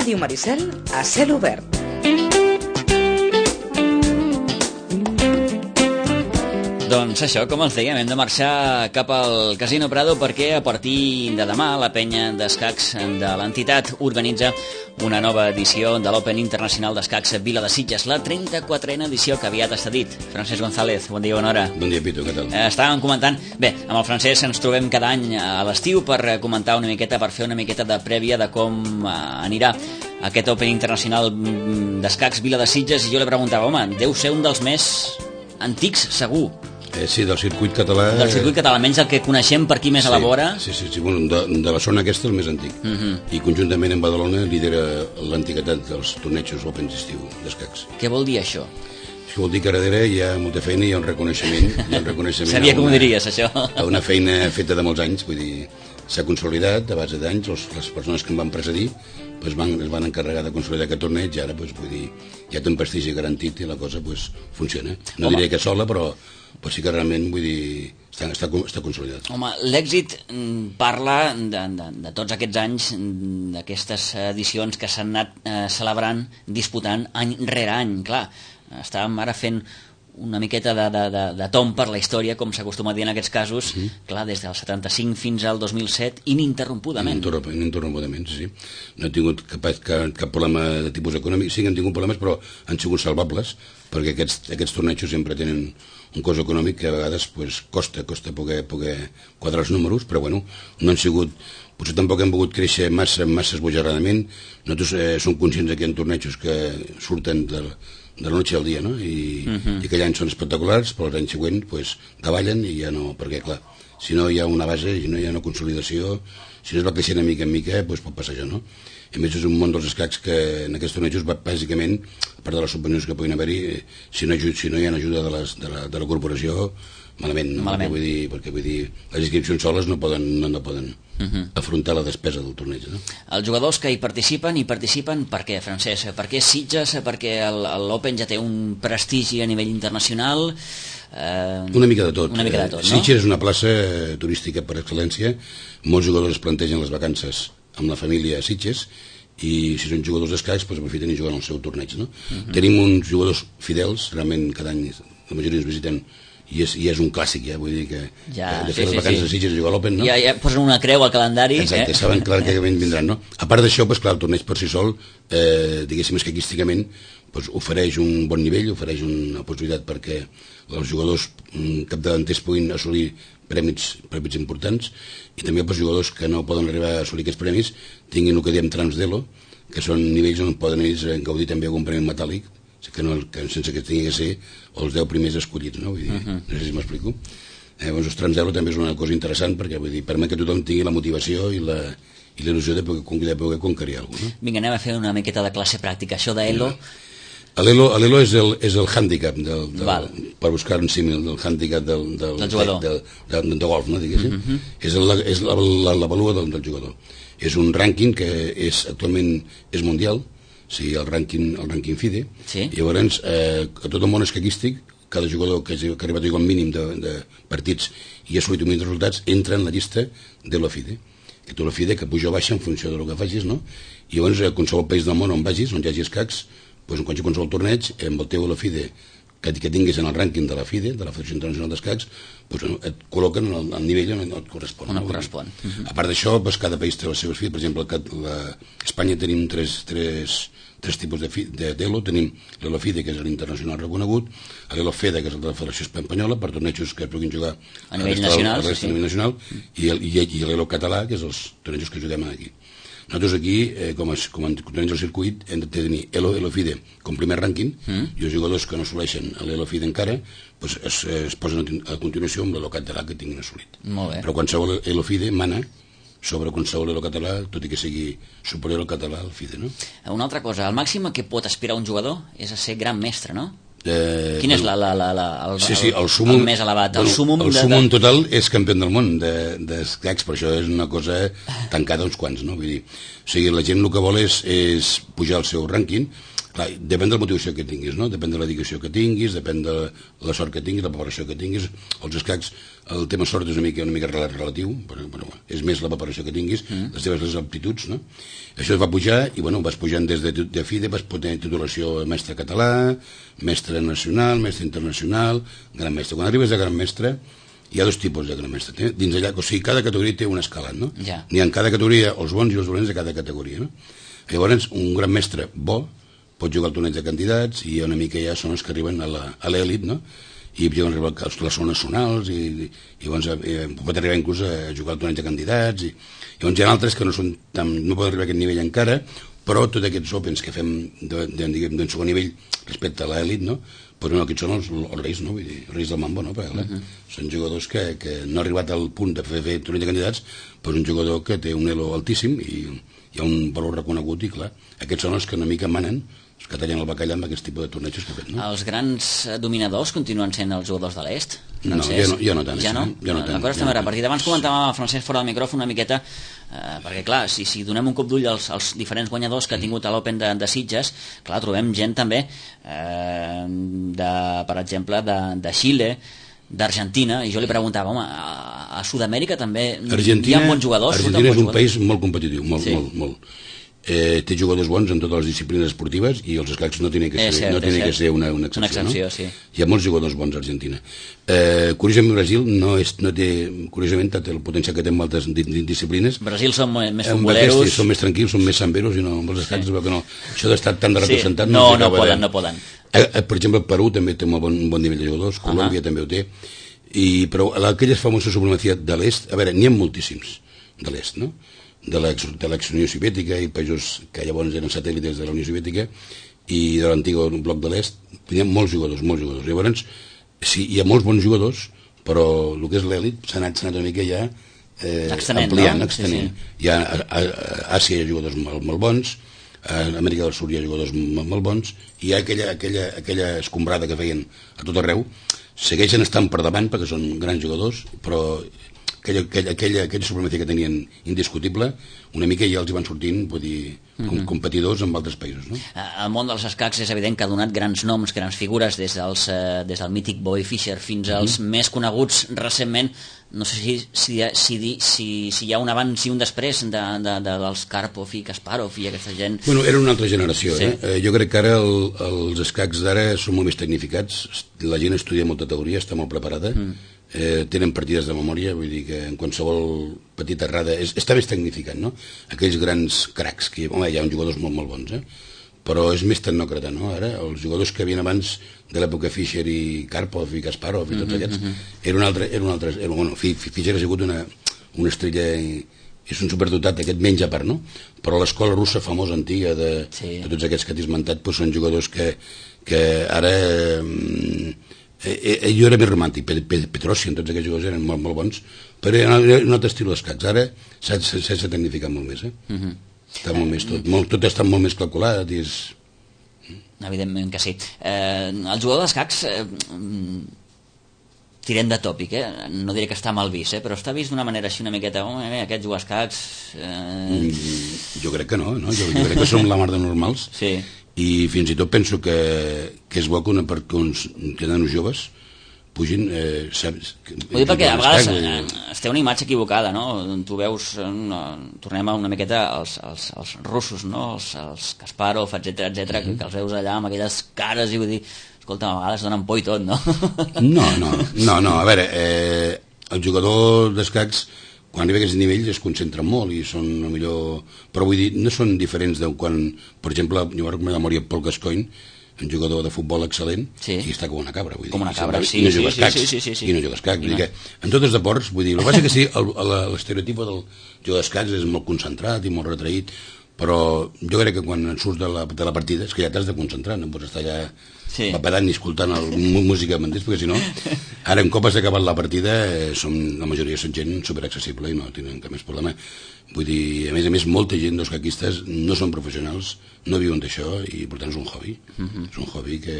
Ràdio Maricel a cel obert. Doncs això, com els dèiem, hem de marxar cap al Casino Prado perquè a partir de demà la penya d'escacs de l'entitat organitza una nova edició de l'Open Internacional d'Escacs Vila de Sitges, la 34a edició que aviat està dit. Francesc González, bon dia, bona hora. Bon dia, Pitu, què tal? Estàvem comentant... Bé, amb el Francesc ens trobem cada any a l'estiu per comentar una miqueta, per fer una miqueta de prèvia de com anirà aquest Open Internacional d'Escacs Vila de Sitges, i jo li preguntava, home, deu ser un dels més antics, segur. Sí, del circuit català... Del circuit català, almenys el que coneixem per aquí més a la vora. Sí, bueno, de la zona aquesta el més antic. I conjuntament amb Badalona lidera l'antiguitat dels tornejos Opens d'estiu d'escacs. Què vol dir això? Això vol dir que darrere hi ha molta feina i hi ha un reconeixement. Sabia com ho diries, això. A una feina feta de molts anys, vull dir, s'ha consolidat a base d'anys, les persones que em van precedir es van encarregar de consolidar aquest torneig i ara, vull dir, ja té un prestigi garantit i la cosa funciona. No diré que sola, però sí que realment, vull dir, està consolidat. Home, l'èxit parla de tots aquests anys, d'aquestes edicions que s'han anat celebrant, disputant any rere any. Clar, estàvem ara fent una miqueta de tomb per la història, com s'acostuma a dir en aquests casos, clar, des del 75 fins al 2007, ininterrompudament. Ininterrompudament, sí. No he tingut cap problema de tipus econòmic. Sí que han tingut problemes, però han sigut salvables, perquè aquests tornejos sempre tenen un cost econòmic que a vegades costa poder quadrar els números, però bueno, no han sigut... Potser tampoc hem pogut créixer massa esbojarradament. Nosaltres som conscients que hi ha tornejos que surten de la noche al dia, no? I aquell any són espectaculars, però l'any següent davallen i ja no... Perquè, clar, si no hi ha una base, si no hi ha una consolidació, si no es va creixent de mica en mica, pot passar això, no? A més, és un món dels escacs que en aquests tornejos, bàsicament, a part de les subvencions que puguin haver-hi, si no hi ha ajuda de la corporació, malament, no? Perquè vull dir, les inscripcions soles no poden afrontar la despesa del torneig, no? Els jugadors que hi participen per què, Francesc? Per què Sitges? Perquè l'Open ja té un prestigi a nivell internacional? Una mica de tot. No? Sitges és una plaça turística per excel·lència. Molts jugadors es plantegen les vacances amb la família a Sitges, i si són jugadors d'escacs aprofiten i juguen al seu torneig, no? Tenim uns jugadors fidels, realment cada any la majoria ens visiten, i és un clàssic, ja, vull dir que de fer les vacances a Sitges i jugar a l'Open, no? Ja posen una creu al calendari. Exacte, saben clar que vindran, no? A part d'això, clar, el torneig per si sol, diguéssim, escaquísticament, ofereix un bon nivell, ofereix una possibilitat perquè els jugadors capdavanters puguin assolir premis importants, i també els jugadors que no poden arribar a assolir aquests premis tinguin el que diem trams d'elo, que són nivells on poden ells gaudir també algun premi metàl·lic, sense que tingui que ser els 10 primers escollits, no? Vull dir, no sé si m'explico. Els trams d'elo també és una cosa interessant perquè permet que tothom tingui la motivació i la il·lusió de poder conquerir alguna cosa, no? Vinga, anem a fer una miqueta de classe pràctica. Això d'elo... L'elo és el hàndicap, per buscar un símil, del hàndicap del jugador de golf, no, diguéssim. És la valua del jugador. És un rànquing que actualment és mundial, el rànquing FIDE. Llavors, a tot el món escaquístic, cada jugador que ha arribat a jugar un mínim de partits i ha assolit un mínim de resultats entra en la llista de l'OFIDE. Que tu l'OFIDE que puja o baixa en funció del que facis, no? I llavors, a qualsevol país del món on vagis, on hi hagi escacs, en qualsevol torneig, amb el teu FIDE que tinguis en el rànquing de la FIDE, de la Federació Internacional d'Escacs, et col·loquen al nivell on et correspon. A part d'això, cada país té les seves FIDE. Per exemple, a Espanya tenim tres tipus d'elo. Tenim l'ELO-FIDE, que és l'internacional reconegut, l'ELO-FEDE, que és el de la Federació Espanyola, per tornejos que puguin jugar a nivell nacional, i l'ELO-català, que és els tornejos que juguem aquí. Nosaltres aquí, com a torneig del circuit, hem de tenir l'ELO-FIDE com primer rànquing, i els jugadors que no assoleixen l'ELO-FIDE encara es posen a continuació amb l'ELO-català que tinguin assolit. Però qualsevol ELO-FIDE mana sobre qualsevol elo-català, tot i que sigui superior al català al FIDE, no? Una altra cosa, el màxim a què pot aspirar un jugador és a ser gran mestre, no? Quin és el súmum més elevat? El súmum total és campió del món d'escacs, però això és una cosa tancada a uns quants, no? Vull dir, la gent el que vol és pujar el seu rànquing. Clar, depèn de la motivació que tinguis, no? Depèn de la dedicació que tinguis, depèn de la sort que tinguis, la preparació que tinguis. Els escacs, el tema sort és una mica relatiu, però és més la preparació que tinguis, les teves aptituds, no? Això es va pujar i, vas pujant des de FIDE, vas tenir titulació mestre català, mestre nacional, mestre internacional, gran mestre. Quan arribes a gran mestre, hi ha dos tipus de gran mestre. Dins allà, o sigui, cada categoria té un escalat, no? Ja. N'hi ha en cada categoria els bons i els dolents de cada categoria, no? Llavors, un gran mestre bo pot jugar al torneig de candidats i una mica ja són els que arriben a l'elit, no? I poden arribar a les zones nacionals i llavors pot arribar inclús a jugar al torneig de candidats i llavors hi ha altres que no poden arribar a aquest nivell encara, però tots aquests opens que fem d'un segon nivell respecte a l'elit, no? Però no, aquests són els reis, no? Vull dir, els reis del mambo, no? Perquè, són jugadors que no han arribat al punt de fer torneig de candidats, però és un jugador que té un elo altíssim i hi ha un valor reconegut i, clar, aquests són els que una mica manen, els que tallen el bacallà amb aquest tipus de tornejos que fem, no? Els grans dominadors continuen sent els jugadors de l'est? No, jo no tant. Ja no? Jo no tant. La cosa està més repartida. Abans comentàvem amb el Francesc fora del micròfon una miqueta, perquè clar, si donem un cop d'ull als diferents guanyadors que ha tingut a l'Open de Sitges, clar, trobem gent també, per exemple, de Xile, d'Argentina, i jo li preguntava, home, a Sud-amèrica també hi ha bons jugadors? Argentina és un país molt competitiu, molt. Té jugadors bons en totes les disciplines esportives i els escacs no tenen que ser una excepció, no? Sí. Hi ha molts jugadors bons a Argentina. Curiosament, Brasil no té, curiosament, el potencial que té en altres disciplines. Brasil són més futboleros. Són més tranquils, són més samberos i amb els escacs veu que no. Això d'estar tan de representat... No poden. Per exemple, Perú també té un bon nivell de jugadors, Colòmbia també ho té, però aquella famosa supremacia de l'est, a veure, n'hi ha moltíssims de l'est, no? De l'ex-Unió Soviètica i països que llavors eren satèl·lites de la Unió Soviètica i de l'antic bloc de l'est, hi ha molts jugadors. Llavors, sí, hi ha molts bons jugadors, però el que és l'èlit s'ha anat una mica ja ampliant. Sí. Hi ha a Àsia hi ha jugadors molt bons, a Amèrica del Sud hi ha jugadors molt bons, i hi ha aquella escombrada que feien a tot arreu, segueixen estant per davant perquè són grans jugadors, però aquella supremacia que tenien indiscutible, una mica ja els hi van sortint, vull dir, competidors amb altres països, no? El món dels escacs és evident que ha donat grans noms, grans figures, des del mític Bobby Fischer fins als més coneguts recentment. No sé si hi ha un abans i un després dels Karpov i Kasparov i aquesta gent. Bueno, era una altra generació, sí. Jo crec que ara els escacs d'ara són molt més tecnificats, la gent estudia molta teoria, està molt preparada, tenen partides de memòria, vull dir que en qualsevol petita errada està més tecnificat, no? Aquells grans cracs, que home, hi ha uns jugadors molt bons, però és més tecnòcrata, no? Ara, els jugadors que havien abans de l'època Fischer i Karpov i Kasparov i tots aquests, era un altre, bueno, Fischer ha sigut una estrella, és un superdotat, aquest menys a part, no? Però l'escola russa famosa, antiga, de tots aquests que t'he esmentat, són jugadors que ara... jo era més romàntic, Petrosian, tots aquests jugadors eren molt bons, però era un altre estil d'escacs. Ara s'ha tecnificat molt més, està molt més tot està molt més calculat i és... Evidentment que sí. El jugador d'escacs, tirem de tòpic, no diré que està mal vist, però està vist d'una manera així una miqueta, aquest jugar escacs... Jo crec que no, jo crec que som la mar de normals. Sí. I fins i tot penso que és bo que uns nanos joves pugin... Ho dic perquè a vegades es té una imatge equivocada, no? Tu veus, tornem a una miqueta als russos, no? Els Kasparov, etcètera, que els veus allà amb aquelles cares i vull dir, escolta, a vegades donen por i tot, no? No, a veure, el jugador d'escacs quan arriba a aquests nivells es concentren molt i són millor... Però vull dir, no són diferents de quan, per exemple, jo vaig recomanar a memòria Paul Gascoigne, un jugador de futbol excel·lent, i està com una cabra, vull dir. Com una cabra, I no juga escacs. I no juga escacs. Vull dir que en tots els deports, vull dir, el que passa que sí, l'estereotip del jugador d'escacs és molt concentrat i molt retraït, però jo crec que quan surts de la partida és que ja t'has de concentrar, no pots estar allà papadant i escoltant música, m'entens? Perquè si no, ara un cop has acabat la partida, la majoria són gent superaccessible i no tenen cap més problema. Vull dir, a més, molta gent dels caquistes no són professionals, no viuen d'això i per tant és un hobby. És un hobby que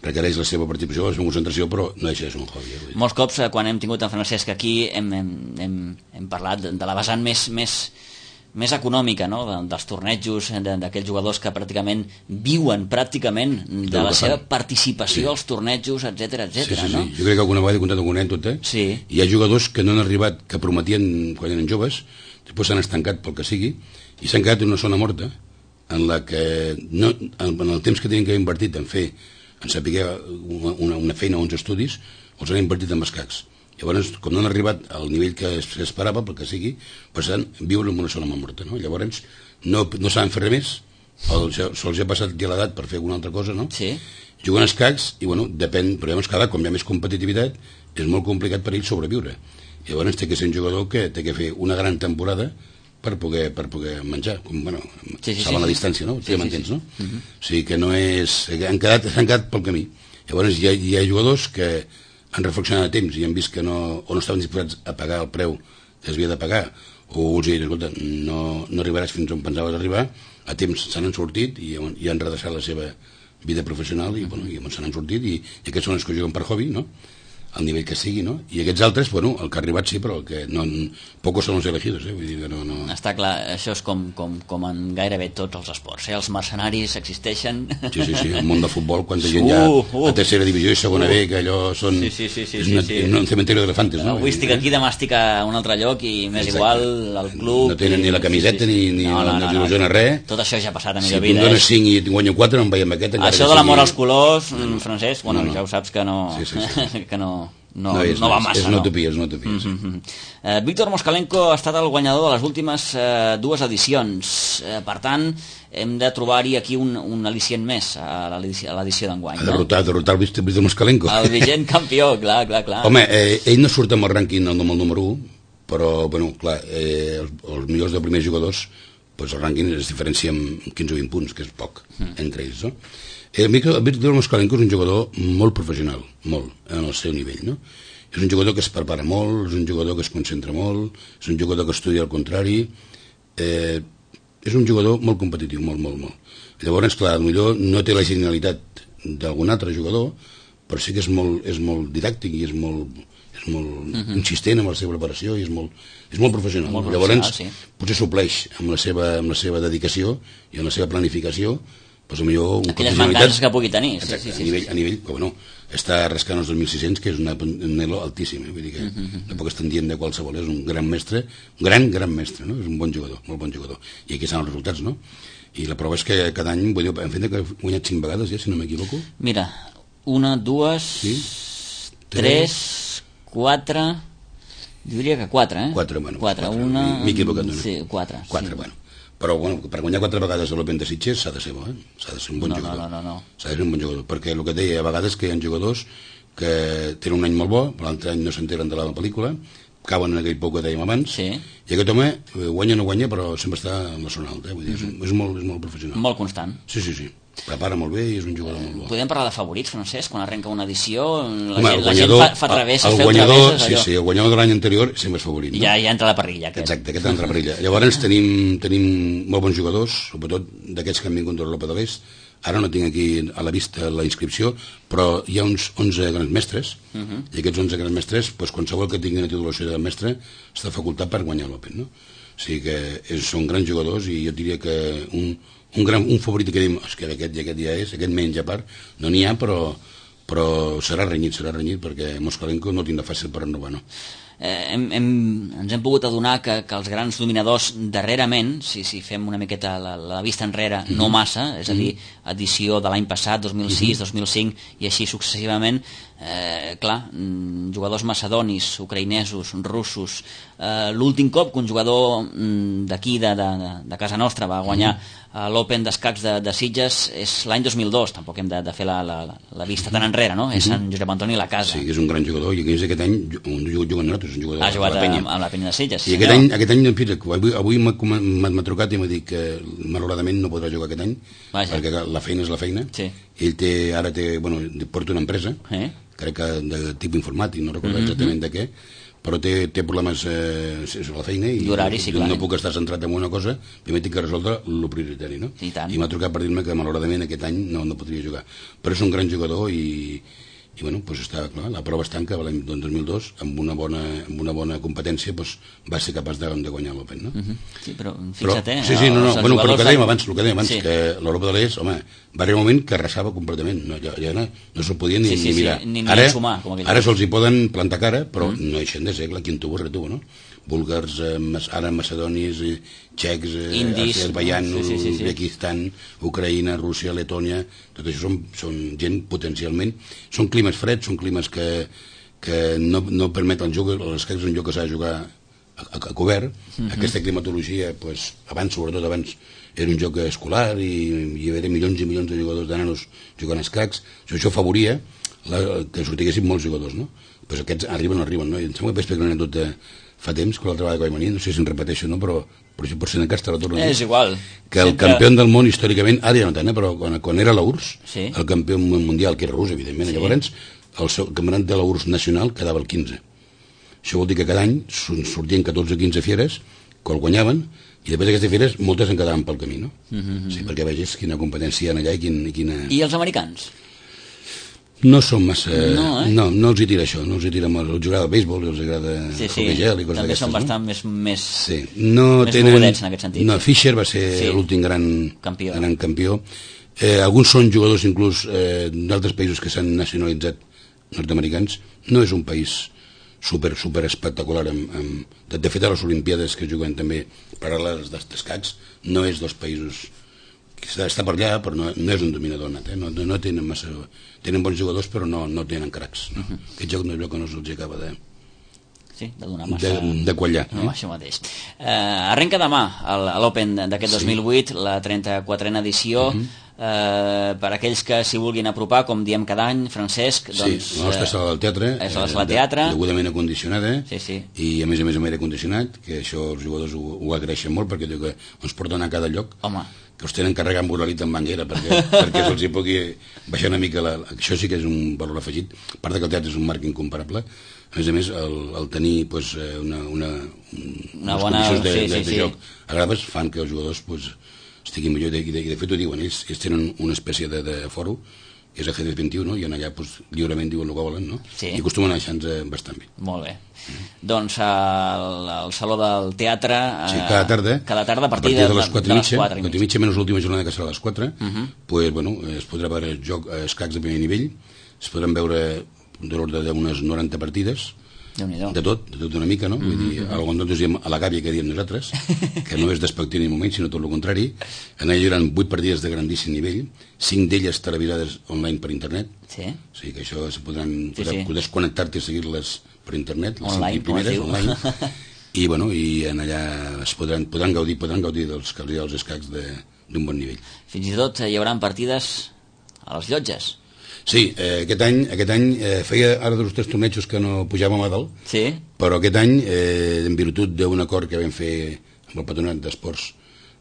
requereix la seva participació, la seva concentració, però no deixa de ser un hobby. Molts cops, quan hem tingut en Francesc aquí, hem parlat de la vessant més més econòmica, no? dels tornejos, d'aquells jugadors que pràcticament viuen pràcticament de la seva participació als tornejos, etc. Sí, no? Jo crec que alguna vegada he contat alguna anècdota. Sí. Hi ha jugadors que no han arribat, que prometien quan eren joves, després s'han estancat pel que sigui, i s'han quedat en una zona morta, en la que no, en el temps que tenien que haver invertit en saber una feina o uns estudis, els han invertit en escacs. Llavors, com no han arribat al nivell que s'esperava, pel que sigui, viuen en una zona molt morta, no? Llavors, no saben fer res més, se'ls ha passat ja l'edat per fer alguna altra cosa, no? Sí. Juguen a escacs i, bueno, depèn, però llavors cada com hi ha més competitivitat, és molt complicat per ell sobreviure. Llavors té que ser un jugador que té que fer una gran temporada per poder menjar, bueno, salvant la distància, no? Ja m'entens, no? O sigui que no és... s'han quedat pel camí. Llavors hi ha jugadors que han reflexionat a temps i han vist que no estaven disposats a pagar el preu que s'havia de pagar, o els diuen, escolta, no arribaràs fins on pensaves arribar, a temps se n'han sortit i han redreçat la seva vida professional i se n'han sortit i aquests són els que juguen per hobby, no? Al nivell que sigui, no? I aquests altres, bueno, el que ha arribat sí, però el que no... Pocos són els elegidos, vull dir que no... Està clar, això és com en gairebé tots els esports, els mercenaris existeixen... Sí, el món de futbol, quanta gent hi ha a tercera divisió i segona B, que allò són... Sí. És un cementeri d'elefantes, no? Avui estic aquí, demà estic a un altre lloc i m'és igual, el club... No tenen ni la camiseta ni il·lusiona res. Tot això ja ha passat a millor vida. Si tu dones 5 i guanyo 4, no em veiem aquest... Això de l'amor als colors, Francesc, bueno, ja ho saps que no... que no va massa. És una utopia, Víctor Moskalenko ha estat el guanyador de les últimes dues edicions. Per tant, hem de trobar-hi aquí un al·licient més a l'edició d'enguany. Derrotar el Víctor Moskalenko. El vigent campió, clar. Home, ell no surt amb el rànquing el número 1, però, bueno, clar, els millors dels primers jugadors, el rànquing es diferencia amb 15 o 20 punts, que és poc, entre ells, no? El Víctor Moskalenko és un jugador molt professional, molt, en el seu nivell, no? És un jugador que es prepara molt, és un jugador que es concentra molt, és un jugador que estudia al contrari, és un jugador molt competitiu, molt. Llavors, clar, potser no té la genialitat d'algun altre jugador, però sí que és molt didàctic i és molt insistent amb la seva preparació i és molt professional. Llavors, potser supleix amb la seva dedicació i amb la seva planificació aquelles mancances que pugui tenir. Exacte, a nivell que, bueno, està rascant els 2.600, que és un elo altíssim, vull dir que tampoc estan dient de qualsevol, és un gran mestre, un gran mestre, no? És un bon jugador, molt bon jugador, i aquí estan els resultats, no? I la prova és que cada any, vull dir, hem fet que ha guanyat 5 vegades, ja, si no m'equivoco. Mira, 1, 2, 3, 4, diria que 4, 4, bueno. 4, m'he equivocat una. Sí, 4. 4, bueno. Però, bueno, per guanyar 4 vegades a l'Open de Sitges s'ha de ser bo, s'ha de ser un bon jugador. No. S'ha de ser un bon jugador, perquè el que et deia, a vegades que hi ha jugadors que tenen un any molt bo, per l'altre any no s'enteren de la pel·lícula, cauen en aquell pou que dèiem abans, i aquest home guanya o no guanya, però sempre està en la zona alta, vull dir, és molt professional. Molt constant. Sí. Prepara molt bé i és un jugador molt bo. Podem parlar de favorits, Francesc, quan arrenca una edició, la gent fa travesses, feu travesses, allò. Sí, el guanyador de l'any anterior sempre és favorit. Ja entra a la parrilla. Exacte, aquest entra a la parrilla. Llavors tenim molt bons jugadors, sobretot d'aquests que han vingut d'Europa de l'Est. Ara no tinc aquí a la vista la inscripció, però hi ha uns 11 grans mestres, i aquests 11 grans mestres, qualsevol que tingui una titulació de mestre està facultat per guanyar l'Open, no? O sigui que són grans jugadors i jo diria que un favorit que diem, que aquest ja és, aquest menys a part, no n'hi ha, però serà renyit perquè Moskalenko no tindrà fàcil per renovar, no? Ens hem pogut adonar que els grans dominadors darrerament, si fem una miqueta la vista enrere, no massa, és a dir, edició de l'any passat, 2006, 2005 i així successivament, clar, jugadors macedonis, ucraïnesos, russos, l'últim cop que un jugador d'aquí, de casa nostra, va guanyar l'Open d'escacs de Sitges és l'any 2002, tampoc hem de fer la vista tan enrere, no? És en Josep Antoni Lacasa. Sí, és un gran jugador, i aquest any juga amb nosaltres, és un jugador ha jugat amb la Penya de Sitges. I aquest any avui m'ha trucat i m'ha dit que malauradament no podrà jugar aquest any, perquè la feina és la feina. Ell ara porta una empresa, crec que de tipus informàtic, no recordo exactament de què, però té problemes a la feina i no puc estar centrat en una cosa, primer tinc que resoldre el prioritari, no? I m'ha trucat per dir-me que malauradament aquest any no podria jugar, però és un gran jugador i i bueno, doncs estava clar, la prova es tanca l'any 2002 amb una bona competència, doncs va ser capaç de guanyar l'Open, no? Sí, però fixa't, sí, bueno, però el que dèiem abans, sí, que l'Europa de l'Est, home, va arribar un moment que arrasava completament, ja no se'l podien ni mirar. Ni sumar, ara se'ls hi poden plantar cara, però no deixen de ser, clar, quin tubo retubo, no? Búlgars, ara macedonis, txecs, azerbaïanos, Uzbekistan, Ucraïna, Rússia, Letònia, tot això són gent potencialment, són climes freds, són climes que no permeten el joc, l'escacs és un joc que s'ha de jugar a cobert, aquesta climatologia, sobretot abans, era un joc escolar i hi havia milions i milions de jugadors de nanos jugant a escacs, això afavoria que sortiguessin molts jugadors, no? Doncs aquests arriben o no arriben, no? I em sembla que vaig explicar una anècdota fa temps, que l'altra vegada que vaig venir, no sé si em repeteixo, no? però això pot ser en cas te la torno a dir. És igual. Que el campió del món històricament, ara ja no tant, però quan era l'URSS, el campió mundial, que era rus, evidentment, llavors el seu campionat de l'URSS nacional quedava el 15. Això vol dir que cada any sortien 14 o 15 fieres, que el guanyaven, i després d'aquestes fieres moltes en quedaven pel camí, no? Sí, perquè vegis quina competència hi ha allà i quina... I els americans? No són massa... No els hi tira això, no els hi tira molt. Els agrada el béisbol, els agrada el hockey gel i coses d'aquestes. També són bastant més mogudets en aquest sentit. No, Fischer va ser l'últim gran campió. Alguns són jugadors inclús d'altres països que s'han nacionalitzat nord-americans. No és un país super espectacular. De fet, a les Olimpiades que juguen també paral·leles d'escacs, no és dels països... està per allà, però no és un dominador nat, no tenen massa... Tenen bons jugadors, però no tenen cracs. Aquest joc no és allò que no se'ls acaba de donar massa... de quallar. No, això mateix. Arrenca demà a l'Open d'aquest 2008, la 34a edició. Per aquells que s'hi vulguin apropar, com diem cada any, Francesc, doncs... Sí, la nostra sala del teatre és la sala teatre, degudament acondicionada, i a més amb aire condicionat, que això els jugadors ho agraeixen molt, perquè diu que ens porten a cada lloc, que els tenen carregat amb uralita en banguera perquè se'ls hi pugui baixar una mica això sí que és un valor afegit, a part que el teatre és un marc incomparable, a més el tenir unes condicions de joc agradables fan que els jugadors estiguin millor, i de fet ho diuen ells tenen una espècie de foro que és ajedrez 21, i en allà lliurement diuen el que volen, no? I acostumen a deixar-nos bastant bé. Molt bé. Doncs al Saló del Teatre cada tarda a partir de les 4:30, menys l'última jornada que serà a les 4, es podrà veure escacs de primer nivell, es podran veure de l'ordre d'unes 90 partides, de tot una mica, no? Vull dir, nosaltres diem a la gàbia que diem nosaltres, que no és despectiu ni un moment, sinó tot el contrari. En allà hi haurà 8 partides de grandíssim nivell, 5 d'elles televisades online per internet, o sigui que això podràs connectar-te i seguir-les per internet, les 5 primeres online, i en allà podran gaudir dels escacs d'un bon nivell. Fins i tot hi haurà partides a les llotges. Sí, aquest any feia ara 2 o 3 tornejos que no pujàvem a dalt, però aquest any, en virtut d'un acord que vam fer amb el Patronat d'Esports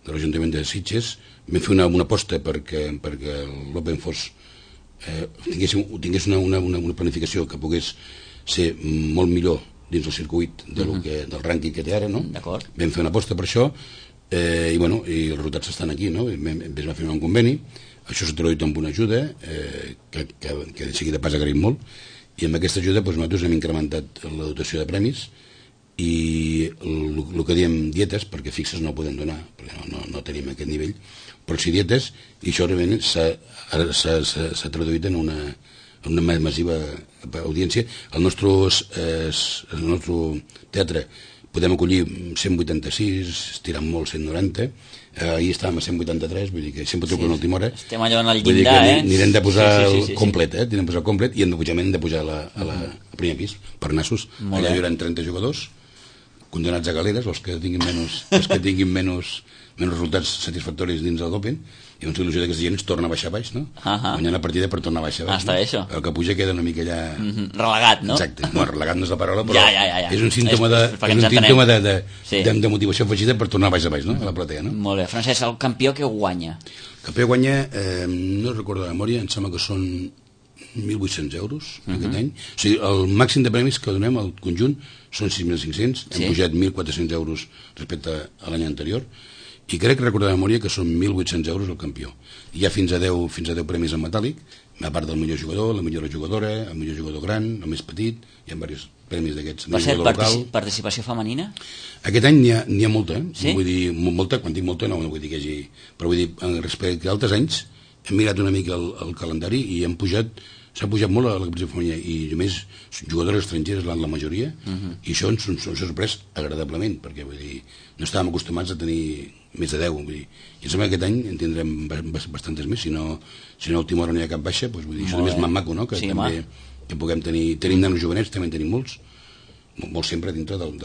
de l'Ajuntament de Sitges, vam fer una aposta perquè l'Open tingués una planificació que pogués ser molt millor dins el circuit del rànquing que té ara, no? Vam fer una aposta per això, i els resultats estan aquí, no? Vam fer un conveni. Això s'ha traduït amb una ajuda que de seguida pas agraïm molt, i amb aquesta ajuda nosaltres hem incrementat la dotació de premis i el que diem dietes, perquè fixes no podem donar, perquè no tenim aquest nivell, però sí dietes, i això realment s'ha traduït en una massiva audiència. El nostre teatre podem acollir 186, estirant molt 190, ahir estàvem a 183, vull dir que sempre truquen a última hora. Estem allò en el llindar, Anirem de posar el complet, i hem de pujar a primer pis, per nassos. Allà hi haurà 30 jugadors, condemnats a galeres, els que tinguin menys resultats satisfactoris dins del Open, i la il·lusió d'aquesta gent es torna a baixar baix, no? Guanyar la partida per tornar a baixar baix. Està bé, això. El que puja queda una mica allà... Relegat, no? Exacte. Relegat no és la paraula, però és un símptoma de motivació afegida per tornar baix a baix, no? A la platea, no? Molt bé. Francesc, el campió que guanya? El campió guanya, no recordo de memòria, em sembla que són 1.800 euros aquest any. O sigui, el màxim de premis que donem al conjunt són 6.500, hem pujat 1.400 euros respecte a l'any anterior, i crec recordar de memòria que són 1.800 euros el campió. Hi ha fins a 10 premis en metàl·lic, a part del millor jugador, la millor jugadora, el millor jugador gran, el més petit, hi ha diversos premis d'aquests. Per cert, participació femenina? Aquest any n'hi ha molta, Sí? vull dir, molta, quan dic molta no vull dir que hi hagi... Però vull dir, respecte a altres anys, hem mirat una mica el calendari i s'ha pujat molt a la competició femenina i només jugadores estrangeres la majoria, i això ens ha sorprès agradablement, perquè vull dir, no estàvem acostumats a tenir més de 10, vull dir, i em sembla que aquest any en tindrem bastantes més, si no a última hora no hi ha cap baixa, doncs vull dir, això és més maco, no? Que sí, també que puguem tenim nanos jovenets, també en tenim molts sempre dintre del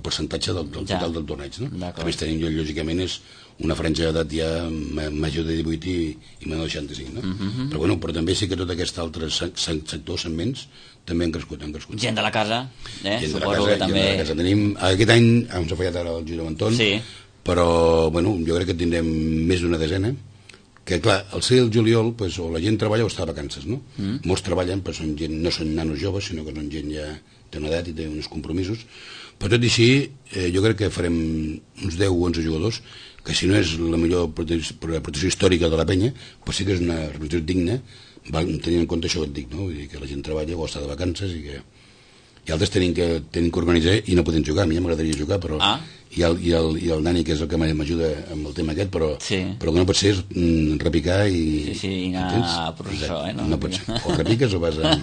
percentatge del total del torneig, no? A més tenim, lògicament, és una franja d'edat ja major de 18 i menor de 65, no? Però també sí que tot aquest altre sector, segments, també han crescut. Gent de la casa, suposo que també... Tenim, aquest any ens ha fallat ara el Giro Anton, però jo crec que tindrem més d'una desena, que clar, al ser el juliol, o la gent treballa o està de vacances, no? Molts treballen, però no són nanos joves, sinó que són gent ja té una edat i té uns compromisos, però tot i així jo crec que farem uns 10 o 11 jugadors que si no és la millor protecció històrica de la penya, però sí que és una representació digna, tenint en compte això que et dic, no? Vull dir que la gent treballa o està de vacances i altres tenim que organitzar i no podem jugar. A mi ja m'agradaria jugar, però i el Dani, que és el que m'ajuda amb el tema aquest, però el que no pot ser és repicar i... Sí, anar a processó, no pot ser. O repiques o vas a...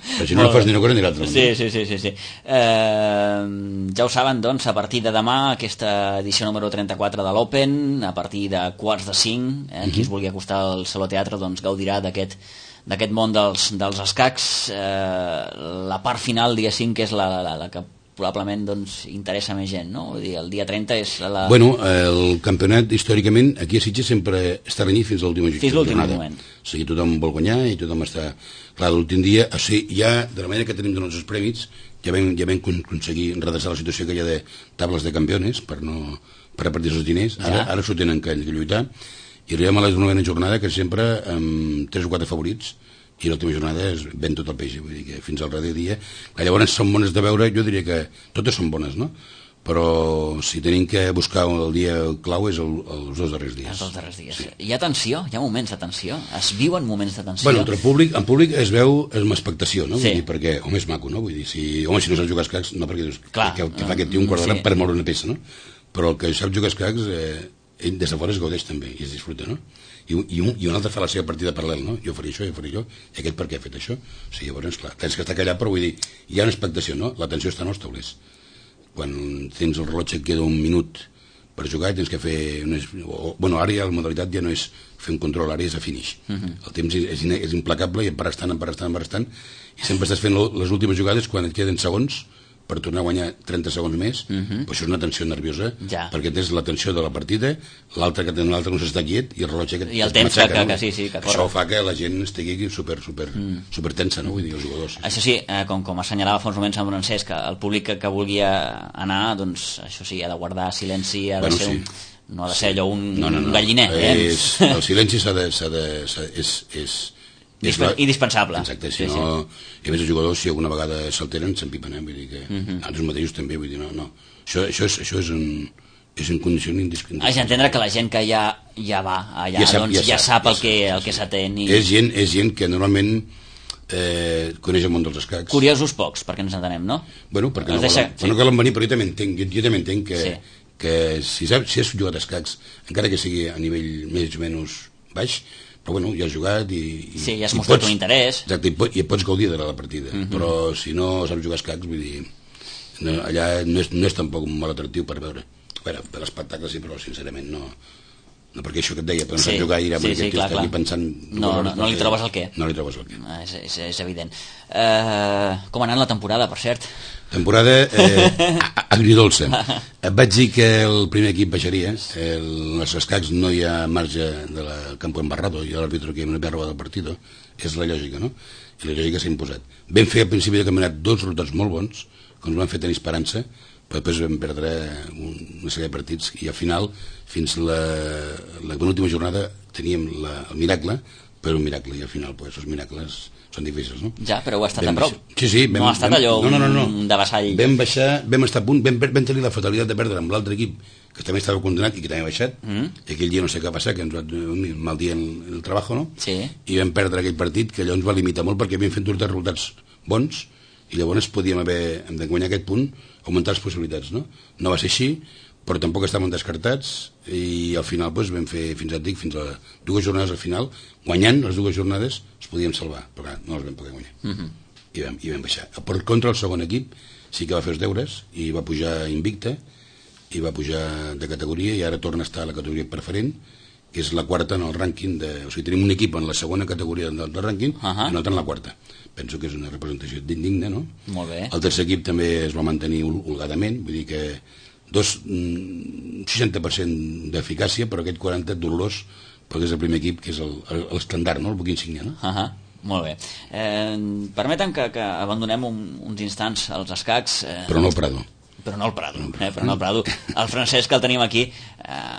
Però si no fas ni una cosa ni l'altra. Sí. Ja ho saben, doncs, a partir de demà, aquesta edició número 34 de l'Open, a partir de 4:45, qui es vulgui acostar al Saló Teatre, doncs gaudirà d'aquest món dels escacs. La part final, dia 5, que és la que probablement interessa més gent, no? Vull dir, el dia 30 és la... Bueno, el campionat, històricament, aquí a Sitges sempre està renyit fins a l'última jornada. Fins l'últim moment. O sigui, tothom vol guanyar i tothom està... Clar, l'últim dia, o sigui, ja, de la manera que tenim donats els prèmits, ja vam aconseguir redreçar la situació que hi ha de tables de campiones per repartir els diners. Ara s'ho tenen que lluitar. I arribem a la 9ª jornada, que sempre amb 3 o 4 favorits, i l'última jornada es ven tot el peix, vull dir que fins al darrer dia. Llavors són bones de veure, jo diria que totes són bones, no? Però si tenim que buscar el dia clau és els 2 darrers dies. Els 2 darrers dies. Sí. Hi ha tensió? Hi ha moments de tensió? Es viuen moments de tensió? Bueno, en públic es veu amb expectació, no? Vull dir, perquè, és maco, no? Vull dir, si no saps jugar escacs, no, perquè dius, que fa aquest tio un quart d'hora per moure una peça, no? Però el que sap jugar escacs, ell des de fora es gaudeix també i es disfruta, no? I un altre fa la seva partida paral·lel, no? Jo faré això, i aquest per què ha fet això? O sigui, llavors, clar, tens que estar callat, però vull dir, hi ha una expectació, no? L'atenció està en els taulers. Quan tens el rellotge que queda un minut per jugar, tens que fer... Bueno, ara ja la modalitat ja no és fer un control, ara és a finish. El temps és implacable i em pares tant, i sempre estàs fent les últimes jugades quan et queden segons per tornar a guanyar 30 segons més, però això és una tensió nerviosa, perquè tens la tensió de la partida, l'altre no s'està quiet, i el rellotge i el temps que corre. Això fa que la gent estigui super tensa, no? Vull dir, els jugadors. Això sí, com assenyalava fa uns moments en Francesc, el públic que vulgui anar, doncs això sí, ha de guardar silenci, ha de ser no ha de ser allò un galliner. El silenci és indispensable. Exacte, si no... I a més els jugadors, si alguna vegada s'alteren, s'empipen, vull dir que... Nosaltres mateixos també, vull dir, no. Això és un condició indispensable. Has d'entendre que la gent que ja va allà, ja sap el que s'atén. És gent que normalment coneix el món dels escacs. Curiosos pocs, perquè ens entenem, no? Bueno, perquè no calen venir, però jo també entenc que si has jugat escacs, encara que sigui a nivell més o menys baix, però bueno, ja has jugat ja has mostrat un interès. Exacte, i pots gaudir de la partida, però si no saps jugar escacs, vull dir, allà no és tampoc molt atractiu per veure. Bueno, per l'espectacle sí, però sincerament no, perquè això que et deia, però no saps jugar i aquest tio està aquí pensant... No li trobes el què. No li trobes el què. És evident. Com ha anat la temporada, per cert? Temporada agridolça. Et vaig dir que el primer equip baixaria, els escacs no hi ha marge del campo embarrado, i l'àrbitre que no havia robat el partit, és la lògica, no? I la lògica s'ha imposat. Vam fer al principi del campionat 2 resultats molt bons, que ens van fer tenir esperança, però després vam perdre una sèrie de partits, i al final, fins la penúltima jornada, teníem el miracle per un miracle, i al final els miracles són difícils, no? Ja, però heu estat a prop. Sí, no ha estat allò un de vassall. Vam baixar, vam estar a punt, vam tenir la fatalitat de perdre amb l'altre equip, que també estava condemnat i que també ha baixat, i aquell dia no sé què va passar, que ens va un mal dia en el treball, no? Sí. I vam perdre aquell partit, que allò ens va limitar molt perquè havíem fet uns resultats bons, i llavors podíem haver, de guanyar aquest punt, augmentar les possibilitats, no? No va ser així, però tampoc estàvem descartats, i al final vam fer, fins a 2 jornades al final, guanyant les 2 jornades es podíem salvar, però clar, no les vam poder guanyar. I vam baixar. Per contra, el segon equip sí que va fer els deures i va pujar invicte, i va pujar de categoria, i ara torna a estar a la categoria preferent, que és la quarta en el rànquing o sigui, tenim un equip en la segona categoria del rànquing i un altre en la quarta. Penso que és una representació digna, no? Molt bé. El tercer equip també es va mantenir holgadament, vull dir que 60% d'eficàcia, però aquest 40% dolorós, perquè és el primer equip, que és l'estandard, no? El buc insígnia, no? Molt bé. Permetem que abandonem uns instants als escacs. Però no el Prado. Però no el Prado. El Francesc, que el tenim aquí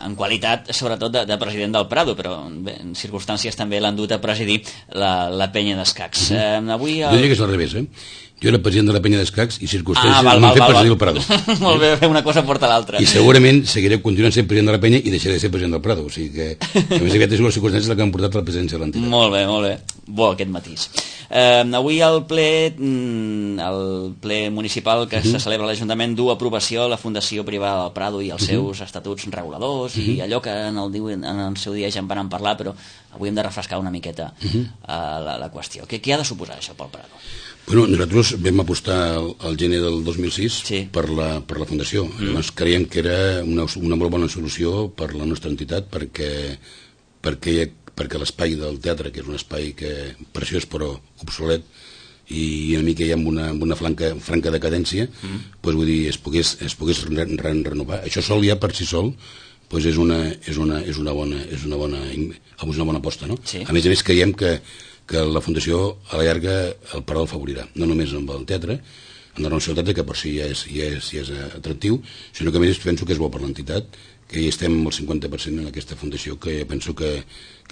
en qualitat, sobretot, de president del Prado, però en circumstàncies també l'han dut a presidir la penya d'escacs. Avui... Jo diria que és al revés, Jo era president de la penya d'escacs i circumstàncies m'han fet presidir el Prado. Molt bé, una cosa porta l'altra. I segurament seguiré continuant sent president de la penya i deixaré de ser president del Prado. O sigui que, a més aviat, és les circumstàncies que han portat a la presidència de l'entitat. Molt bé. Bo, aquest matís. Avui el ple municipal que se celebra a l'Ajuntament du aprovació a la Fundació Privada del Prado i els seus estatuts reguladors i allò que en el seu dia ja en van parlar, però avui hem de refrescar una miqueta la qüestió. Què ha de suposar això pel Prado? Bueno, nosaltres vam apostar al gener del 2006 per la Fundació. Llavors creiem que era una molt bona solució per la nostra entitat perquè l'espai del teatre, que és un espai preciós però obsolet i una mica ja amb una franca decadència, vull dir, es pogués renovar. Això sol ja per si sol és una bona aposta, no? A més creiem que la Fundació a la llarga el Prado favorirà, no només amb el teatre, amb la renovació del teatre, que per si ja és atractiu, sinó que a més penso que és bo per l'entitat, que hi estem al 50% en aquesta fundació, que penso que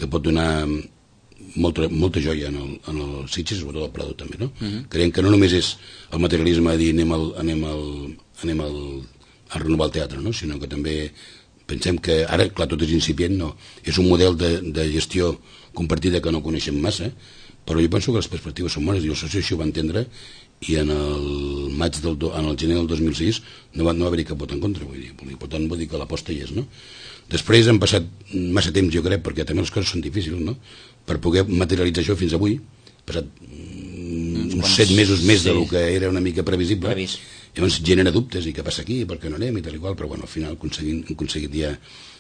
pot donar molta joia en el Sitges, sobretot al Prado també, no? Creiem que no només és el materialisme de dir anem a renovar el teatre, no? Sinó que també pensem que ara, clar, tot és incipient, no? És un model de gestió compartida que no coneixem massa, però jo penso que les perspectives són bones i el soci així ho va entendre, i en el gener del 2006 no va haver-hi cap vot en contra, per tant vull dir que l'aposta hi és, no? Després han passat massa temps, jo crec, perquè també les coses són difícils, no? Per poder materialitzar això fins avui, passat uns 7 mesos més del que era una mica previsible, llavors genera dubtes, i què passa aquí, per què no anem, i tal i qual, però bueno, al final hem aconseguit ja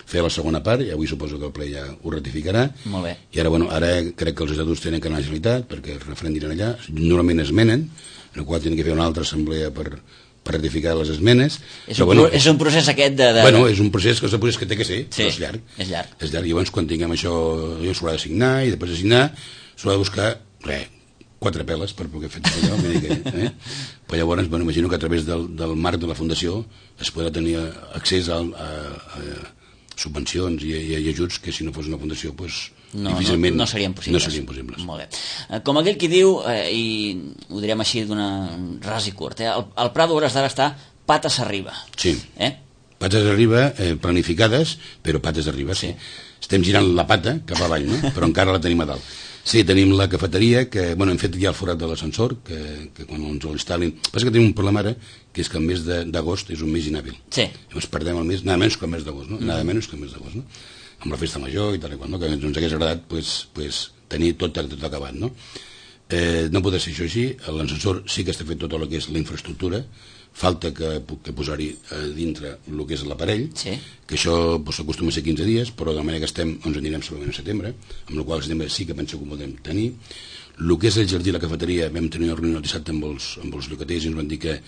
fer la segona part, i avui suposo que el ple ja ho ratificarà. Molt bé. I ara crec que els estatuts tenen que anar a la Generalitat, perquè el referèndum anirà allà, normalment esmenen, en el qual tenen que fer una altra assemblea per ratificar les esmenes. És un procés aquest de... Bueno, és un procés que té que ser, però és llarg. És llarg. I llavors, quan tinguem això, s'haurà de signar, i després de signar s'haurà de buscar, 4 peles per poder fer tot allò, però llavors, imagino que a través del marc de la Fundació es podrà tenir accés a subvencions i ajuts que si no fos una fundació difícilment no serien possibles. Molt bé. Com aquell qui diu, i ho direm així d'una ras i curt, el Prado a hores d'ara està pates arriba. Sí, pates arriba, planificades, però pates arriba, sí. Estem girant la pata cap avall, no? Però encara la tenim a dalt. Sí, tenim la cafeteria, que hem fet ja el forat de l'ascensor, que quan ens l'instal·lin... Passa que tenim un problema ara, que és que el mes d'agost és un mes inhàbil. Sí. Llavors perdem el mes, nada menys que el mes d'agost, no? Nada menys que el mes d'agost, no? Amb la festa major i tal i qual, no? Que ens hagués agradat tenir tot acabat, no? No pot ser això així, l'ascensor sí que està fet tot el que és la infraestructura, falta que posar-hi dintre el que és l'aparell, que això s'acostuma a ser 15 dies, però de manera que estem, ens anirem segurament a setembre, amb la qual cosa setembre sí que penso que ho podem tenir. El que és el jardí i la cafeteria, vam tenir una reunió el dissabte amb els llogaters i ens van dir que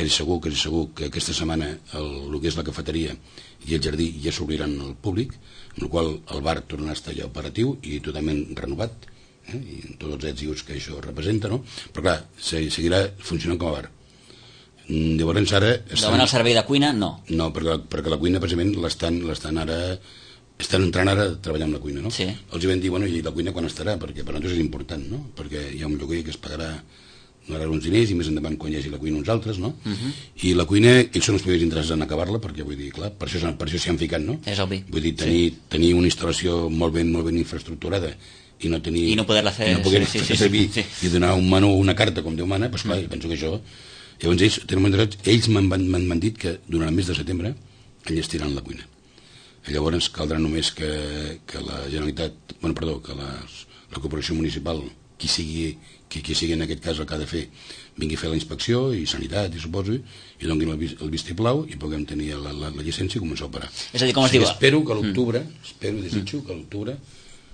és segur que aquesta setmana el que és la cafeteria i el jardí ja s'obriran al públic, amb la qual el bar tornarà a estar ja operatiu i totalment renovat, i tots els èxits i uts que això representa, no? Però clar, seguirà funcionant com a bar. Llavors ara... Davant el servei de cuina, no. No, perquè la cuina precisament l'estan ara estan entrant ara a treballar amb la cuina, no? Sí. Els hi vam dir, bueno, i la cuina quan estarà? Perquè per nosaltres és important, no? Perquè hi ha un lloguer que es pagarà uns diners i més endavant quan hi hagi la cuina uns altres, no? I la cuina, ells són els primers interessats en acabar-la, perquè vull dir, clar, per això s'hi han ficat, no? És obvi. Vull dir, tenir una instal·lació molt ben infraestructurada i no tenir... I no poder-la fer... I no poder fer servir i donar un menú o una carta com Déu mana, doncs clar, penso que això... Llavors ells m'han dit que durant el mes de setembre enllestiran la cuina. Llavors caldrà només que la Generalitat, que la Corporació Municipal, qui sigui en aquest cas el que ha de fer, vingui a fer la inspecció i sanitat, i suposo, i donin el vistiplau i puguem tenir la llicència i començar a operar. És a dir, com es diu? Espero que a l'octubre, desitjo que a l'octubre,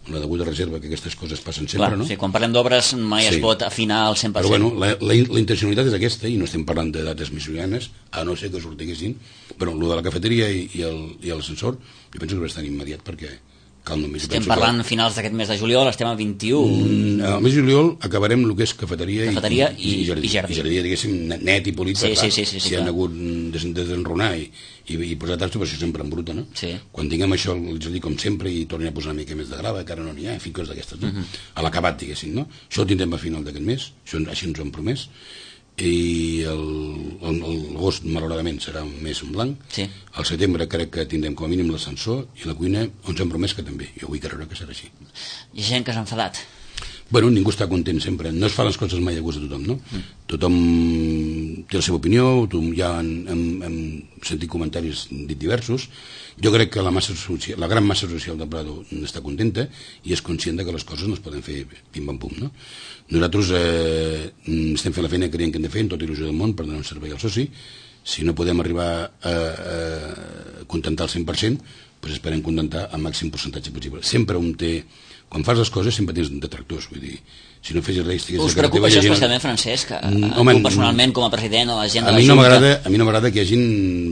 amb la deguda reserva, que aquestes coses passen sempre, no? Sí, quan parlem d'obres mai es pot afinar al 100%. Però bueno, la intencionalitat és aquesta, i no estem parlant de dates missionanes, a no ser que sortiguessin, però el de la cafeteria i l'ascensor, jo penso que és bastant immediat, perquè cal només... Estem parlant a finals d'aquest mes de juliol, estem a 21... Al mes de juliol acabarem el que és cafeteria i jardí. I jardí, diguéssim, net i polit, si han hagut desenronar i posar tastos, però això sempre en bruta, no? Sí. Quan tinguem això, el jardí com sempre, i tornem a posar una mica més de grava, que ara no n'hi ha, en fi, coses d'aquestes, no? A l'acabat, diguéssim, no? Això ho tindrem a final d'aquest mes, així ens ho hem promès, i l'agost malauradament serà un mes en blanc. Sí. Al setembre crec que tindrem com a mínim l'ascensor i la cuina ens hem promès que també. Jo vull creure que serà així. Hi ha gent que s'ha enfadat. Bueno, ningú està content sempre, no es fa les coses mai a gust de tothom, no? Tothom té la seva opinió, ja hem sentit comentaris diversos. Jo crec que la gran massa social del Prado està contenta i és conscient que les coses no es poden fer pim-pam-pum, no? Nosaltres estem fent la feina que creiem que hem de fer en tota il·lusió del món per donar un servei al soci. Si no podem arribar a contentar el 100%, doncs esperem contentar el màxim percentatge possible. Sempre un té... Quan fas les coses sempre tens detractors, vull dir, si no fessis res... Us preocupa això especialment, Francesc? Tu personalment, com a president, a la gent de la Junta... A mi no m'agrada que hi hagin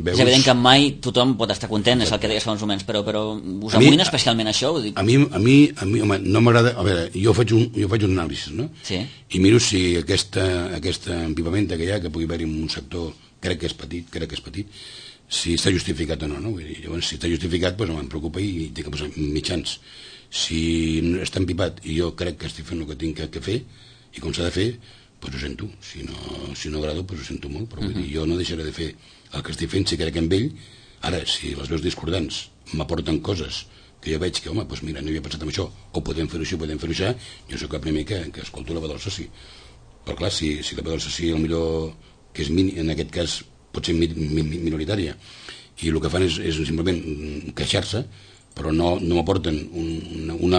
veus... És evident que mai tothom pot estar content, és el que deies fa uns moments, però us amoïna especialment això? A mi, home, no m'agrada... A veure, jo faig un anàlisi, no? Sí. I miro si aquesta empipamenta que hi ha, que pugui haver-hi en un sector, crec que és petit, si està justificat o no, no? Vull dir, llavors, si està justificat, doncs em preocupa i té que posar mitjans. Si està empipat i jo crec que estic fent el que tinc que fer i com s'ha de fer, doncs ho sento. Si no agrado, doncs ho sento molt, però vull dir, jo no deixaré de fer el que estic fent si crec en ell. Ara, si les veus discordants m'aporten coses que jo veig que, home, doncs mira, no havia pensat en això, o podem fer-ho així, podem fer-ho això, jo sóc el primer que escolto la veu del soci. Però clar, si la veu del soci millor que és en aquest cas pot ser minoritària, i el que fan és simplement queixar-se, però no m'aporten una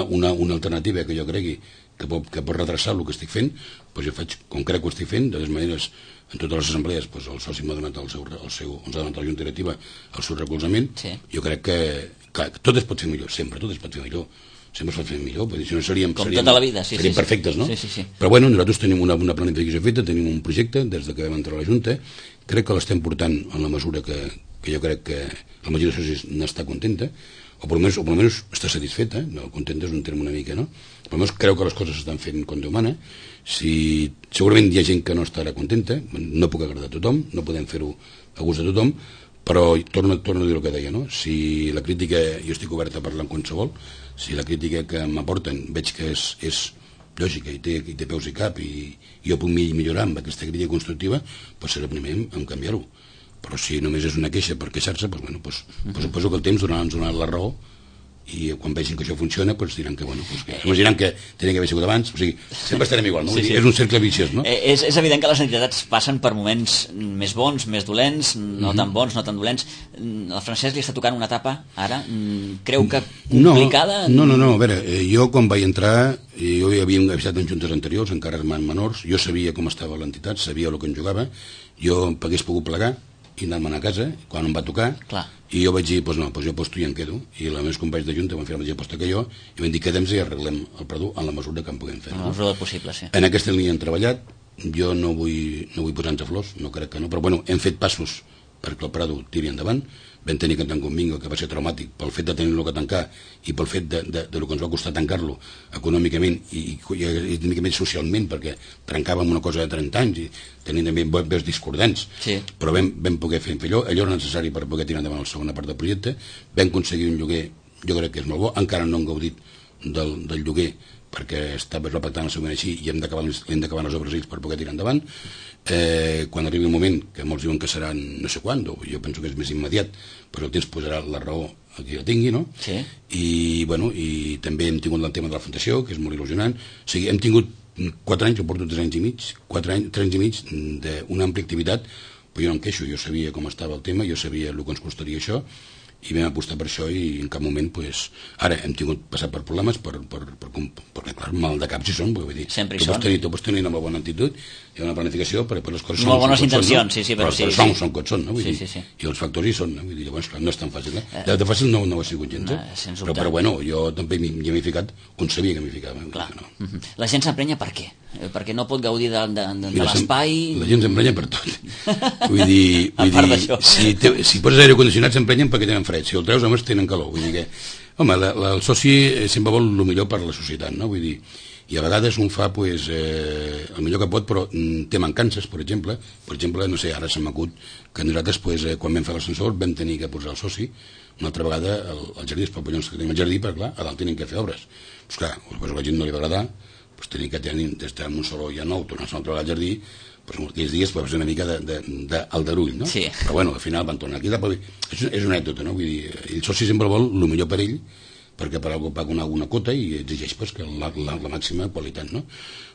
alternativa que jo cregui que pot retrasar el que estic fent, doncs jo faig com crec que ho estic fent. De totes maneres, en totes les assemblees doncs el soci m'ha donat ens ha donat a la Junta Directiva el seu recolzament. Sí. Jo crec que tot es pot fer millor, sempre tot es pot fer millor, sempre es pot fer millor, perquè si no seríem tota la vida, seríem perfectes, no? Sí. Però bueno, nosaltres tenim una planificació feta, tenim un projecte des que vam entrar a la Junta, crec que l'estem portant en la mesura que jo crec que la majoria de socis n'està contenta, o per almenys està satisfeta, no, contenta és un terme una mica, no? Per almenys creu que les coses s'estan fent com Déu mana. Segurament hi ha gent que no estarà contenta, no puc agradar a tothom, no podem fer-ho a gust de tothom, però torno a dir el que deia, no? Si la crítica, jo estic obert a parlar amb qualsevol, si la crítica que m'aporten veig que és lògica i té peus i cap i jo puc millorar amb aquesta crítica constructiva, doncs serà primer en canviar-ho. Però si només és una queixa per queixar-se, doncs suposo que el temps ens donarà la raó i quan vegin que això funciona diran que, imaginaran que tenia que haver sigut abans, o sigui, sempre estarem igual, no? Sí. És un cercle viciós, no? És evident que les entitats passen per moments més bons, més dolents, no tan bons, no tan dolents. El Francesc li està tocant una etapa, ara, creu que complicada? No, a veure, jo quan vaig entrar, jo ja havia avisat en juntes anteriors, encara menors, jo sabia com estava l'entitat, sabia el que en jugava, jo hagués pogut plegar i anar-me'n a casa, quan em va tocar. Clar. I jo vaig dir, doncs jo aposto i em quedo, i els meus companys de Junta van fer la mateixa aposta que jo, i van dir, quedem-nos i arreglem el Prado en la mesura que en puguem fer. En la mesura possible, sí. En aquesta línia hem treballat, jo no vull posar-nos flors, no crec que no, però bueno, hem fet passos perquè el Prado tiri endavant. Vam tenir que tancar un bingo que va ser traumàtic pel fet de tenir-lo que tancar i pel fet de lo que ens va costar tancar-lo econòmicament i econòmicament socialment, perquè trencàvem una cosa de 30 anys i tenint també veus discordants, sí. Però vam poder fer allò era necessari per poder tirar endavant la segona part del projecte. Vam aconseguir un lloguer jo crec que és molt bo, encara no han gaudit del lloguer perquè està repactant el següent així i hem d'acabar les obres ells per poder tirar endavant. Quan arribi el moment, que molts diuen que seran no sé quan, jo penso que és més immediat, però el temps posarà la raó a qui la tingui, no? Sí. I també hem tingut el tema de la fundació, que és molt il·lusionant. O sigui, hem tingut 4 anys, jo porto 3 anys i mig, 3 anys i mig d'una àmplia activitat, però jo no em queixo, jo sabia com estava el tema, jo sabia el que ens costaria això, i vam apostar per això i en cap moment ara hem tingut passat per problemes perquè clar, mal de cap si són, vull dir, tu pots tenir una molt bona actitud i una planificació, però les coses molt bones intencions, sí, però són com són, no? Vull dir, i els factors hi són, no? Vull dir, llavors clar, no és tan fàcil, de fàcil no ho ha sigut gens, però bueno, jo també m'hi he ficat on sabia que m'hi ficava. La gent s'emprenya per què? Perquè no pot gaudir de l'espai. La gent s'emprenya per tot, vull dir si poses aire condicionat s'emprenyen perquè tenen fred, si el treus només tenen calor, vull dir que home, el soci sempre vol el millor per a la societat, no? Vull dir, i a vegades un fa el millor que pot, però té mancances, per exemple, no sé, ara se m'acut que nosaltres quan vam fer l'ascensor vam tenir que posar el soci una altra vegada al jardí, els papallons que tenim al jardí, perquè clar, a dalt tenen que fer obres, doncs clar, a la gent no li va agradar, tenir que estar en un saló ja nou, tornar-se una altra vegada al jardí, aquells dies va ser una mica d'aldarull, no? Sí. Però bueno, al final van tornar aquí. És una anècdota, no? Vull dir, el soci sempre vol el millor per ell, perquè per algú paga una quota i exigeix que la màxima qualitat, no?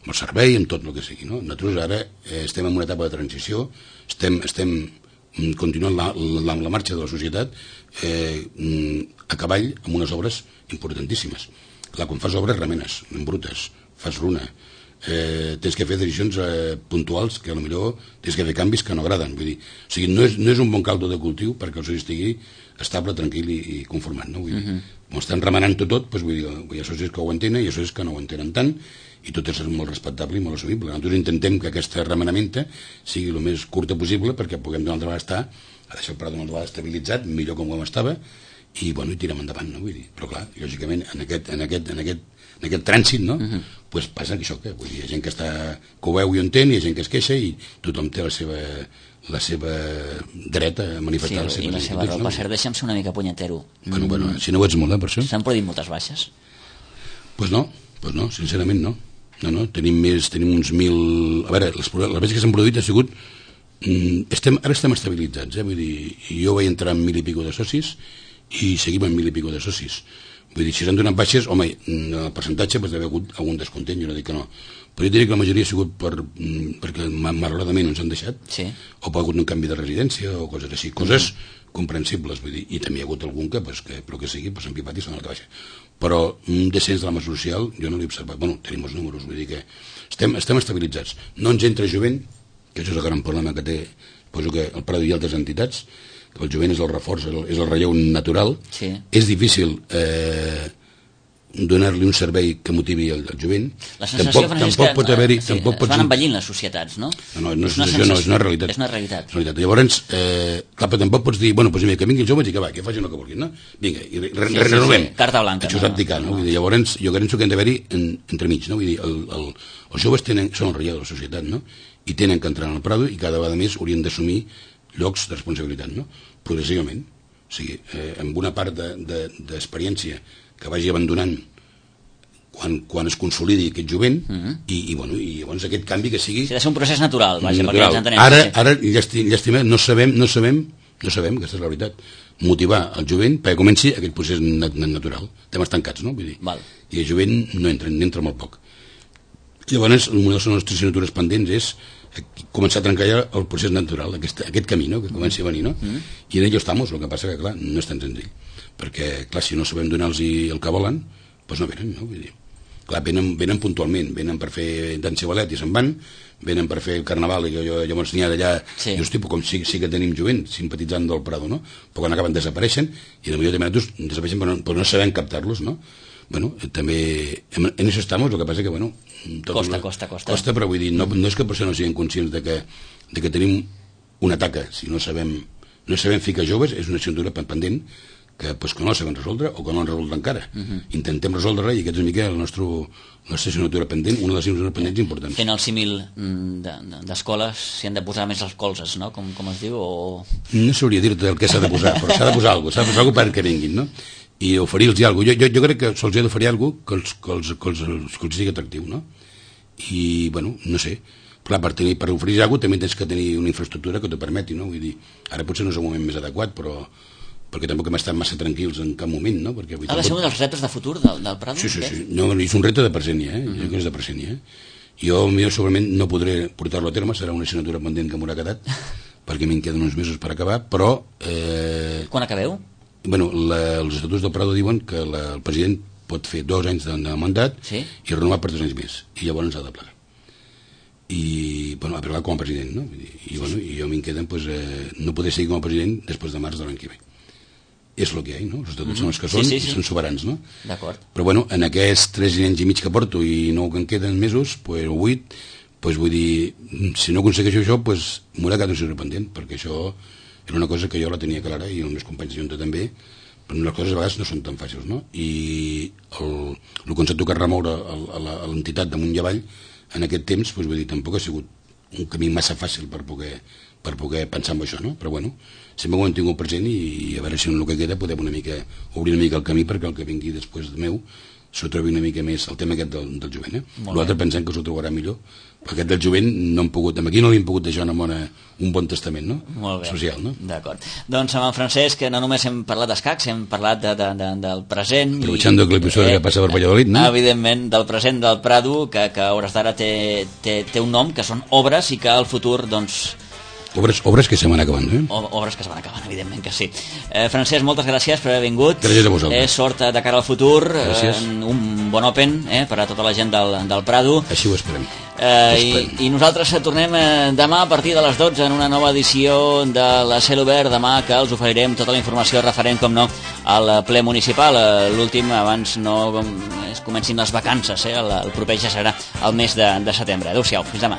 Amb el servei, amb tot el que sigui, no? Nosaltres ara estem en una etapa de transició, estem continuant la marxa de la societat a cavall amb unes obres importantíssimes. Clar, quan fas obres remenes, brutes, fas runa, tens que fer decisions puntuals que potser tens que fer canvis que no agraden, vull dir, o sigui, no és un bon caldo de cultiu perquè el soci estigui estable, tranquil i conformat, no? Vull dir, com estan remenant tot, doncs vull dir, hi ha socis que ho entenen i hi ha socis que no ho entenen tant i tot és molt respectable i molt assumible. Nosaltres intentem que aquesta remenamenta sigui el més curta possible perquè puguem d'una altra vegada a deixar el Prado d'una altra vegada estabilitzat, millor com estava i tirem endavant, no? Vull dir, però clar, lògicament en aquest trànsit, no? Pues passa això, que vull dir, hi ha gent que ho veu i ho entén, hi ha gent que es queixa i tothom té la seva dret a manifestar les seves inquietuds. I la seva raó, per cert, deixa'm ser una mica punyetero. Bueno, si no ho ets molt, per això. S'han produït moltes baixes? Pues no, sincerament no. No, tenim uns 1.000... A veure, les baixes que s'han produït ha sigut... Ara estem estabilitzats, vull dir, jo vaig entrar amb 1.000 i pico de socis i seguim amb 1.000 i pico de socis. Vull dir, si s'han donat baixes, home, el percentatge pot haver hagut algun descontent, jo no dic que no. Però jo diria que la majoria ha sigut perquè malauradament ens han deixat, o ha hagut un canvi de residència o coses així, coses comprensibles, vull dir, i també hi ha hagut algun però que sigui, s'han pipat i s'han anat a baixa. Però un descens de la massa social jo no l'he observat. Bueno, tenim els números, vull dir que estem estabilitzats. No ens entra jovent, que això és el gran problema que té, suposo que el Prado i altres entitats, que el jovent és el reforç, és el relleu natural. És difícil donar-li un servei que motivi el jovent. La sensació, Francesc, que es van envellint les societats, no? No, és una realitat. És una realitat. Llavors, clar, però tampoc pots dir, bueno, doncs que vinguin els joves i que va, que facin el que vulguin, no? Vinga, i renovem. Carta blanca. Això és abdicar, no? Llavors, jo penso que hem d'haver-hi entremig, no? Vull dir, els joves són el relleu de la societat, no? I tenen que entrar en el Prado i cada vegada més haurien d'assumir llocs de responsabilitat, no? Progressivament. O sigui, amb una part d'experiència que vagi abandonant quan es consolidi aquest jovent i llavors aquest canvi que sigui... Ha de ser un procés natural, vaja, perquè ens entenem. Ara llàstima, no sabem, aquesta és la veritat, motivar el jovent perquè comenci aquest procés natural. Estem estancats, no? Vull dir, i el jovent no entra molt poc. Llavors, una de les nostres assignatures pendents és començar a trencar ja el procés natural, aquest camí, no? Que comenci a venir, no? I en ello estamos, el que passa que, clar, no és tan senzill. Perquè, clar, si no sabem donar-los el que volen, doncs no venen, no? Vull dir, clar, venen puntualment, venen per fer dansa i ballet i se'n van, venen per fer el carnaval i que jo llavors n'hi ha d'allà, i hosti, com sí que tenim jovent simpatitzant del Prado, no? Però quan acaben desapareixen, i potser també nosaltres desapareixen però no sabem captar-los, no? Bueno, també en això estamos, el que passa que, bueno... Costa, però vull dir, no és que per això no siguin conscients de que tenim una taca, si no sabem ficar joves, és una assignatura pendent que no la sabem resoldre o que no l'han resolt encara. Intentem resoldre-la i aquesta és una mica la nostra assignatura pendent, una de les assignatures pendents importants. Fent el símil d'escoles, s'hi han de posar més els colzes, no? Com es diu, o... No sabria dir-te el que s'ha de posar, però s'ha de posar alguna cosa perquè vinguin, no? i oferir-los alguna cosa. Jo crec que se'ls ha d'oferir alguna cosa que els sigui atractiu, no? I, bueno, no sé, clar, per oferir alguna cosa també tens que tenir una infraestructura que t'ho permeti, no? Vull dir, ara potser no és el moment més adequat, però perquè tampoc hem estat massa tranquils en cap moment, no? Perquè, ha de ser un dels reptes de futur del Prado? Sí. No, és un repte de present, jo que és de present, Jo segurament no podré portar-lo a terme, serà una assignatura pendent que m'haurà quedat, perquè m'hi queden uns mesos per acabar, però... Quan acabeu? Bueno, els estatuts del Prado diuen que el president pot fer 2 anys de mandat i renovar per 3 anys més, i llavors ha de plegar. I, bueno, a plegar com a president, no? I jo m'hi queden, doncs, no poder seguir com a president després de març de l'any que ve. És el que hi ha, no? Els estatuts són els que són i són soberans, no? D'acord. Però, bueno, en aquests 3 anys i mig que porto i no que en queden mesos, o 8, doncs vull dir, si no aconsegueixo això, doncs m'haurà quedat un signo pendent, perquè això era una cosa que jo la tenia clara i els meus companys junta també, però les coses a vegades no són tan fàcils, no? I el que ens ha tocat remoure a l'entitat damunt i avall en aquest temps, doncs vull dir, tampoc ha sigut un camí massa fàcil per poder pensar en això, no? Però bueno, sempre ho hem tingut present i a veure si en el que queda podem obrir una mica el camí perquè el que vingui després de meu s'ho trobi una mica més el tema aquest del jovent. L'altre pensem que s'ho trobarà millor, perquè aquest del jovent no hem pogut, aquí no li hem pogut deixar un bon testament, no? Molt bé. Social, no? D'acord. Doncs amb en Francesc no només hem parlat d'escacs, hem parlat del present. Aprovechando que l'episodi que passa per Valladolid, no? Evidentment, del present del Prado, que a hores d'ara té un nom, que són obres i que al futur, doncs... Obres que se van acabant, Obres que se van acabant, evidentment que sí. Francesc, moltes gràcies per haver vingut. Gràcies a vosaltres. Sort de cara al futur. Gràcies. Un bon Open per a tota la gent del Prado. Així ho esperem. I nosaltres tornem demà a partir de les 12 en una nova edició de la Cel Obert. Demà que els oferirem tota la informació referent, com no, al ple municipal. L'últim, abans no es comencin les vacances. El proper ja serà el mes de setembre. Adéu-siau, fins demà.